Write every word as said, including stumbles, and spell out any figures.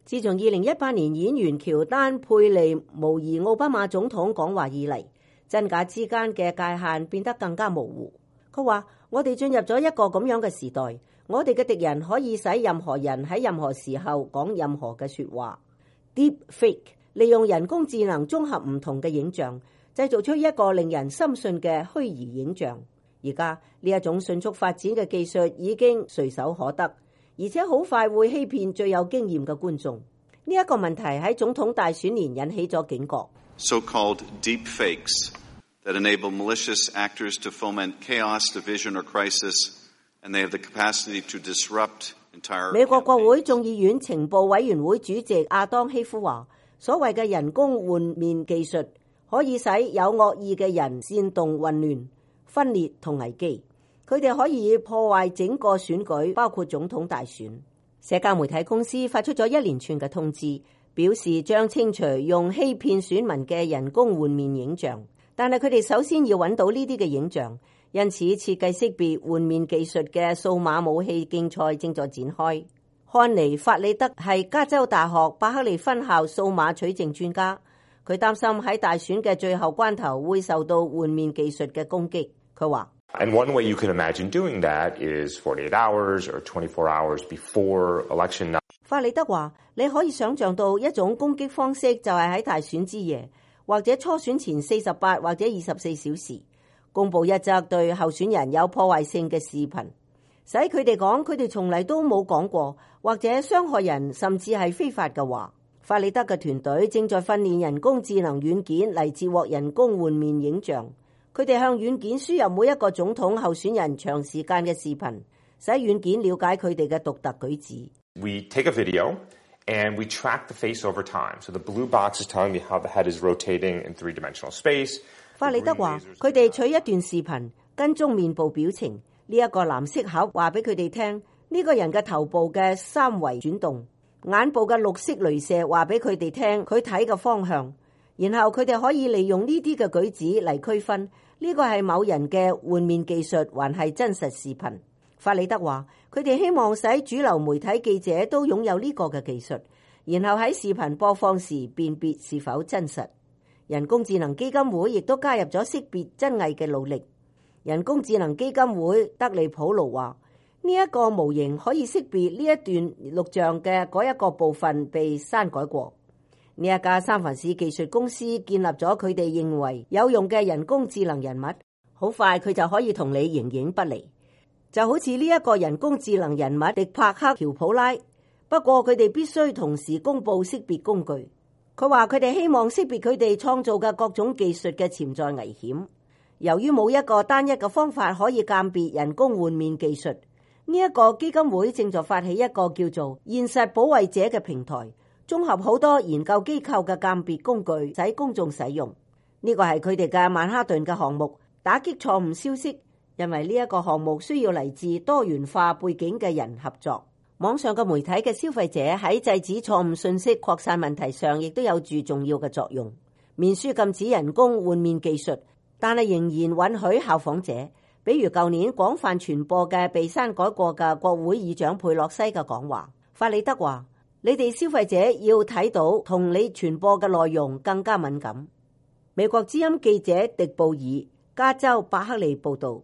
自從二零一八年演員喬丹佩利模擬奧巴馬總統講話以嚟，真假之間嘅界限變得更加模糊。佢話：我哋進入咗一個咁樣嘅時代，我哋嘅敵人可以使任何人喺任何時候講任何嘅說話。Deep fake 利用人工智能綜合唔同嘅影像，製造出一個令人深信嘅虛擬影像。而家呢一種迅速發展嘅技術已經隨手可得，而且好快會欺騙最有經驗嘅觀眾。呢一個問題喺總統大選年引起咗警覺。So-called deep fakes that enable malicious actors to foment chaos, division, or crisis, and they have the capacity to disrupt entire. 美國國會眾議院情報委員會主席亞當希夫話：所謂嘅人工換面技術可以使有惡意嘅人煽動混亂、分裂同危機，佢哋可以破壞整個選舉，包括總統大選。社交媒體公司發出咗一連串嘅通知，表示將清除用欺騙選民嘅人工換面影像，但係佢哋首先要揾到呢啲嘅影像，因此設計識別換面技術嘅數碼武器競賽正在展開。漢尼法里德係加州大學伯克利分校數碼取證專家，佢擔心喺大選嘅最後關頭會受到換面技術嘅攻擊。佢話And one way you can imagine doing that is forty-eight hours or twenty-four hours before election night. 法里德話：你可以想象到一種攻擊方式就係喺大選之夜，或者初選前四十八或者二十四小時，公佈一則對候選人有破壞性嘅視頻，使佢哋講佢哋從嚟都冇講過，或者傷害人甚至係非法嘅話。法里德嘅團隊正在訓練人工智能軟件嚟截獲人工換面影像。佢哋向軟件輸入每一個總統候選人長時間嘅視頻，使軟件了解佢哋嘅獨特舉止。We take a video and we track the face over time. So the blue box is telling me how the head is rotating in three-dimensional space. 法里德話：佢哋取一段視頻，跟蹤面部表情。呢一個藍色盒話俾佢哋聽，呢個人嘅頭部嘅三維轉動，眼部嘅綠色鐳射話俾佢哋聽佢睇嘅方向。然後佢哋可以利用呢啲嘅舉止嚟區分呢個係某人嘅換面技術，還係真實視頻。法里德話：佢哋希望使主流媒體記者都擁有呢個嘅技術，然後喺視頻播放時辨別是否真實。人工智能基金會亦都加入咗識別真偽嘅努力。人工智能基金會德利普魯話：呢一個模型可以識別呢一段錄像嘅嗰一個部分被刪改過。呢一家三藩市技術公司建立咗佢哋認為有用嘅人工智能人物，好快佢就可以同你形影不離，就好似呢一個人工智能人物迪帕克喬普拉。不過佢哋必須同時公布識別工具。佢話佢哋希望識別佢哋創造嘅各種技術嘅潛在危險。由於冇一個單一嘅方法可以鑑別人工換面技術，呢一個基金會正在發起一個叫做現實保衛者嘅平台，綜合好多研究機構嘅鑑別工具，使公眾使用。呢個係佢哋嘅曼哈頓嘅項目，打擊錯誤消息。因為呢一個項目需要嚟自多元化背景嘅人合作。網上嘅媒體嘅消費者喺制止錯誤信息擴散問題上，亦都有住重要嘅作用。面書禁止人工換面技術，但係仍然允許效仿者，比如舊年廣泛傳播嘅被刪改過嘅國會議長佩洛西嘅講話。法里德話：你哋消費者要睇到同你傳播嘅內容更加敏感。美國之音記者迪布爾，加州伯克利報道。